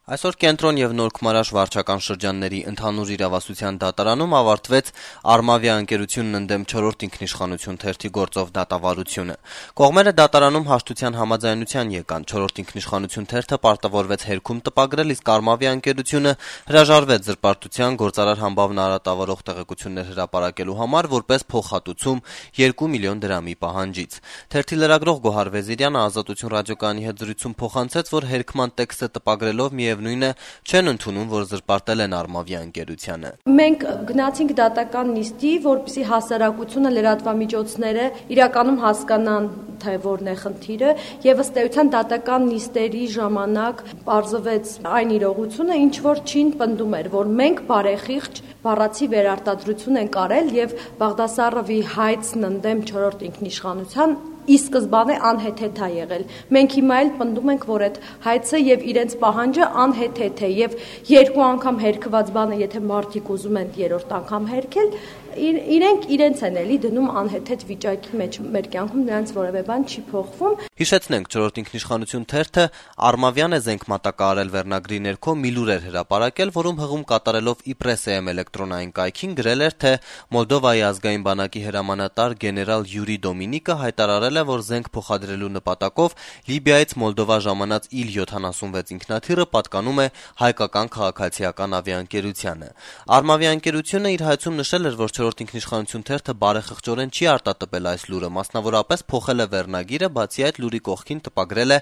Այսօր Կենտրոն եւ Նոր Քմարաշ վարչական շրջանների ընդհանուր իրավասության դատարանում ավարտվեց Արմավիա ընկերությունն ընդդեմ 4-րդ ինքնիշխանություն թերթի գործով դատավարությունը։ Կողմերը դատարանում հաշտության համաձայնության եկան։ 4-րդ ինքնիշխանություն թերթը պարտավորվեց հերքում տպագրել, իսկ Արմավիա ընկերությունը հրաժարվեց զրպարտության գործարար համբավն արատավորող տեղեկություններ հրապարակելու համար որպես փոխհատուցում 2 միլիոն դրամի պահանջից։ Թերթի լրագրող Գոհար Վեզիրյանը Ազատություն ռադիոկայանի հետ զրույցում փոխանցեց, որ հերքման տեքստը տպագրելով միևնույն է չեն ընդունում, որ զրպարտել են Արմավիա ընկերությանը։ Մենք գնացինք դատական նիստի, որպեսզի հասարակությունը, լրատվամիջոցները իրականում հասկանան, թե որն է խնդիրը, եւ ըստ էության դատական նիստերի ժամանակ պարզվեց այն իրողությունը, ինչ որ չին պնդում էր, որ մենք բարեխիղճ բառացի վերարտադրություն ենք արել եւ Բաղդասարովի հայցն ընդդեմ 4-րդ ինքնիշխանության ի սկզբանե անհեթեթ է եղել։ Մենք հիմա էլ պնդում ենք, որ այդ հայցը եւ իրենց պահանջը անհեթեթ է եւ երկու անգամ հերքված բանը, եթե մարդիկ ուզում են երրորդ անգամ հերքել, իրենք իրենց են էլի դնում անհեթեթ վիճակի մեջ։ Մեր կյանքում նրանց որևէ բան չի փոխվում։ Հիշեցնենք, 4-րդ ինքնիշխանություն թերթը Արմավյան է զենք մատակարարել վերնագրի ներքո մի լուր էր հրապարակել, որում հղում կատարելով իպրեսեմ էլեկտրոնային կայքին գրել էր, թե Մոլդովայի ազգային բանակի հրամանատար գեներալ Յուրի Դոմինիկը հայտարարել է, որ զենք փոխադրելու նպատակով Լիբիայից Մոլդովա ժամանած Il-76 ինքնաթիռը պատկանում է հայկական քաղաքացիական ավիաընկերությանը։ Արմավիա ընկերությունը իր հայցում նշել էր, որ 4-րդ ինքնիշխանություն թերթը բարեխղճորեն չի արտատպել այս լուրը, մասնավորապես փոխել է վերնագիրը, բացի այդ լուրի կողքին տպագրել է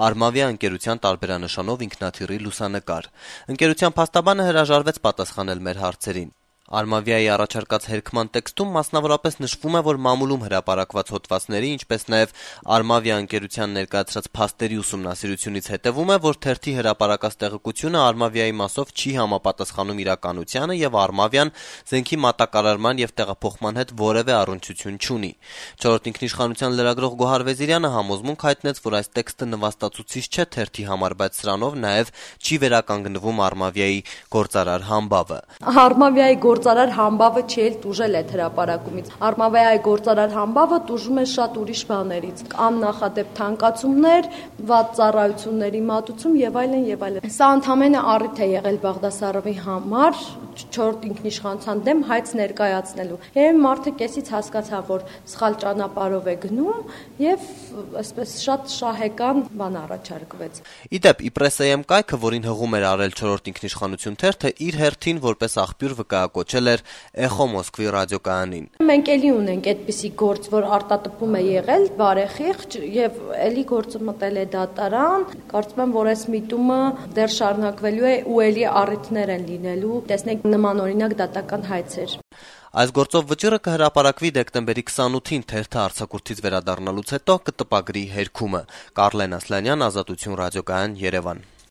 Արմավիա ընկերության տարբերանշանով ինքնաթիռի լուսանկար։ Ընկերության փաստաբանը հրաժարվեց պատասխանել մեր հարցերին։ Արմավիայի առաջարկած հերքման տեքստում մասնավորապես նշվում է, որ մամուլում հրապարակված հոդվածների, ինչպես նաև Արմավիա ընկերության ներկայացրած փաստերի ուսումնասիրությունից հետևում է, որ թերթի հրապարակած տեղեկությունը Արմավիայի մասով չի համապատասխանում իրականությանը եւ Արմավիան զենքի մատակարարման եւ տեղափոխման հետ որևէ առնչություն չունի։ 4-րդ ինքնիշխանության լրագրող Գոհար Վեզիրյանը համոզմունք հայտնեց, որ այս տեքստը նվաստացուցիչ չէ թերթի համար, բայց սրանով նաև չի վերականգնվում Արմավիայի գործարար համբավը։ Արմավիայի գործարար համբավը չի էլ տուժել այդ հրապարակումից։ Արմավիայի գործարար համբավը տուժում է շատ ուրիշ բաներից։ Աննախադեպ թանկացումներ, վատ ծառայությունների մատուցում եւ այլն եւ այլն։ Սա ընդհանրապես առիթ է եղել Բաղդասարովի համար 4-րդ ինքնիշխանության դեմ հայց ներկայացնելու։ Երբ մարդը կեսից հասկացավ, որ սխալ ճանապարհով է գնում եւ այսպես շատ շահեկան բան առաջարկվեց։ Իդեպ իպրեսեմ կայքը, որին հղում էր արել 4-րդ ինքնիշխանություն թերթը, իր հերթին որպես աղբյուր վկայակոչել էր Էխո Մոսկվի ռադիոկայանին։ Մենք էլի ունենք այդպիսի գործ, որ արտատպում է եղել բարեխիղճ եւ էլի գործը մտել է դատարան։ Կարծում եմ, որ այս միտումը դեռ շարունակվելու է ու էլի առիթներ են լինելու։ Տեսնենք նմանօրինակ դատական հայցեր։ Այս գործով վճիռը կհրապարակվի դեկտեմբերի 28-ին թերթը արձակուրդից վերադառնալուց հետո կտպագրի հերքումը։ Կարլեն Ասլանյան, Ազատություն ռադիոկայան, Երևան։